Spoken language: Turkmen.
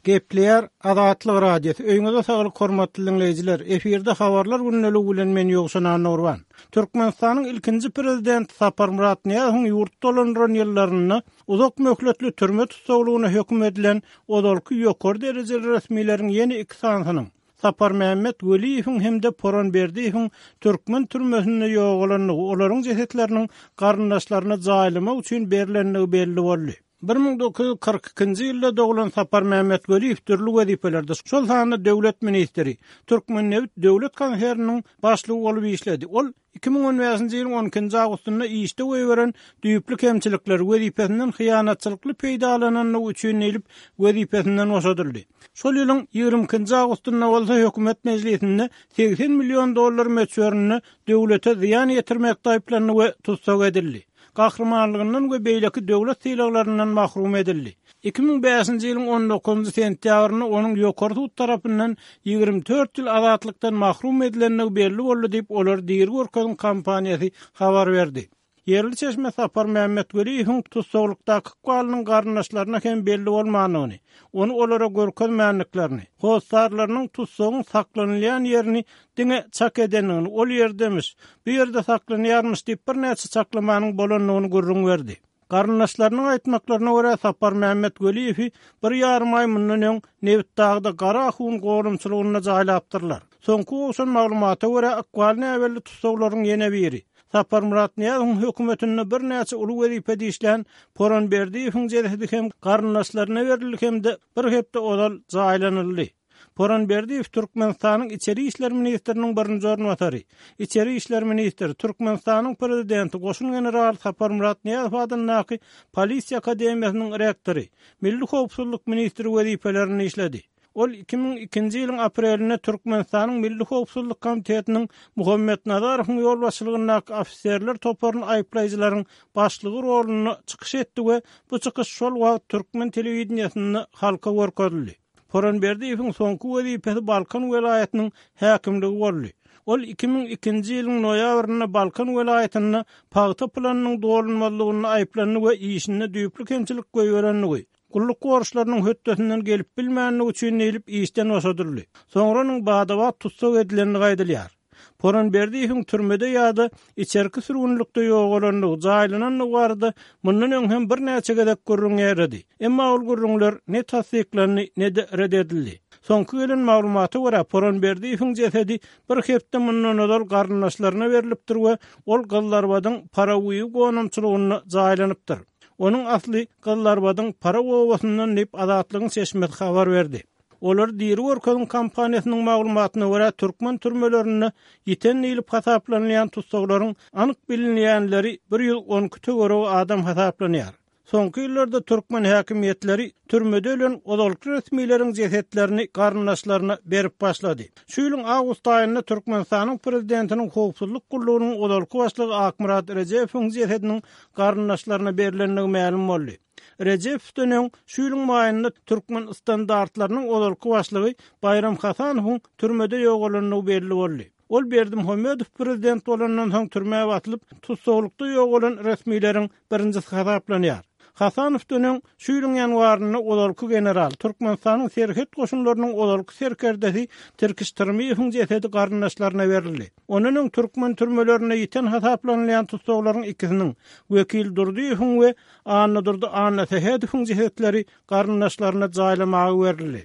Gepleýär Azatlyk Radiosy. Öýüňize saglyk hormatly diňleýjiler. Efirde habarlar gündeligi bilen men Ýowşan Annagurban. Türkmenistanyň ilkinji prezidenti Saparmyrat Nyýazowyň ýurt dolandyran ýyllarynda uzak möhletli türme tussaglygyna höküm edilen ozalky ýokary derejeli resmileriň ýene iki sanysynyň, Saparmämmet Weliýewiň hem-de Poran Berdiýewiň türkmen türmesinde ýogalandygy, olaryň jesetleriniň garyndaşlaryna jaýlamak üçin berlendigi belli boldy. 1942-nji ýylda doglan Saparmämmet Weliýew dürli wezipelerde, şol sanda döwlet ministri, Türkmennebit döwlet konserniniň başlygy bolup işledi. Ol 2015-nji ýylyň on ikinji awgustynda işde goýberen düýpli kemçilikleri, wezipesinden hyýanatçylykly peýdalanandygy üçin diýlip, wezipesinden boşadyldy. Şol ýylyň ýigrimi ikinji awgustynda bolsa hökümet mejlisinde 80 million dollar möçberinde döwlete zyýan ýetirmekde aýyplandy we tussag edildi. Gahrymanlygyndan we beýleki döwlet sylaglaryndan mahrum edildi. 2005-nji ýylyň on dokuzynjy sentýabrynda onuň ýokary sud tarapyndan 24 ýyl azatlykdan mahrum edilendigi belli boldy diýip, Olary diri görkeziň kampaniýasy habar berdi. Ýerli çeşme Saparmämmet Weliýewiň tussaglykdaky ykbalynyň garyndaşlaryna hem belli bolmandygyny, ony olara görkezmändiklerini, hossarlarynyň tussagyň saklanylýan ýerini diňe çak edendigini, ol ýerdemiş, bu ýerde saklanýarmyş diýip birnäçe çaklamanyň bolandygyny gürrüň berdi. Garyndaşlarynyň aýtmaklaryna görä, Saparmämmet Weliýewi bir ýarym aý mundan öň Nebitdagda Gara ahun gorumçylygynda jaýlapdyrlar. Soňky gowşan maglumata görä, ykbaly näbelli tussaglaryň ýene biri, Saparmyrat Nyýazowyň hökümetinde birnäçe uly wezipede işlän Poran Berdiýewiň jesedi hem garyndaşlaryna berildi hem-de bir hepde ozal jaýlanyldy. Poran Berdiýew Türkmenistanyň Içeri işler ministriniň birinji orunbasary, içeri işler ministri, Türkmenistanyň Prezidenti, goşun generaly Saparmyrat Nyýazow adyndaky Polisiýa akademiýasynyň rektory, Milli howpsuzlyk ministri wezipelerinde işledi. Ol 2002-nji ýylyň aprelinde Türkmenistanyň Milli howpsuzlyk komitetiniň Muhammet Nazarowyň ýolbaşçylygyndaky ofiserler toparyny aýyplaýjylaryň başlygy rolunda çykyş etdi we bu çykyş şol wagt türkmen telewideniýesinde halka görkezildi. Poran Berdiýewiň soňky wezipesi Balkan welaýatynyň häkimligi boldy. Ol 2002-nji ýylyň noýabrynda Balkan welaýatynda pagta planynyň dolunmazlygynda aýyplandy we işinde düýpli kemçilik goýberendigi, gulluk borçlarynyň hötdesinden gelip bilmändigi üçin diýlip işden boşadyldy. Soňra onuň bada-bat tussag edilendigi aýdylýar. Poran Berdiýewiň türmede ýa-da içerki sürgünlikde ýogalandygy, jaýlanandygy barada mundan öň hem birnäçe gezek gürrüň ýaýrady. Emma ol gürrüňler ne tassyklandy, ne-de ret edildi. Soňky gelen maglumata görä, Poran Berdiýewiň jesedi bir hepde mundan ozal garyndaşlaryna berlipdir we ol Gyzlarbadyň Paraguýy gonamçylygynda jaýlanypdyr. Onuň asly Gyzlarbadyň Paraw obasyndan diýip, Azatlygyň çeşmesi habar berdi. Olary diri görkeziň kampaniýasynyň maglumatyna görä, türkmen türmelerinde ýiten diýlip hasaplanylýan tussaglaryň anyk bilinýänleri 112 töweregi adam hasaplanýar. Soňky ýyllarda türkmen häkimiýetleri türmede ölen ozalky resmileriň jesetlerini garyndaşlaryna berip başlady. Şu ýylyň awgust aýynda Türkmenistanyň prezidentiniň howpsuzlyk gullugynyň ozalky başlygy Akmyrat Rejepowyň jesediniň garyndaşlaryna berlendigi mälim boldy. Rejepowdan öň şu ýylyň maýynda Türkmen standartlarynyň ozalky başlygy Baýram Hasanowyň türmede ýogalandygy belli boldy. Ol Berdimuhamedow prezident bolandan soň türmä basylyp, tussaglykda ýogalan resmileriň birinjisi hasaplanýar. Hasanowdan öň şu ýylyň ýanwarynda ozalky general, Türkmenistanyň serhet goşunlarynyň ozalky serkerdesi Tirkiş Tyrmyýewiň jesedi garyndaşlaryna berildi. Ondan öň türkmen türmelerinde ýiten hasaplanylýan tussaglaryň ikisiniň, Wekil Durdyýewiň we Annadurdy Annasähedowyň jesetleri garyndaşlaryna jaýlamaga berildi.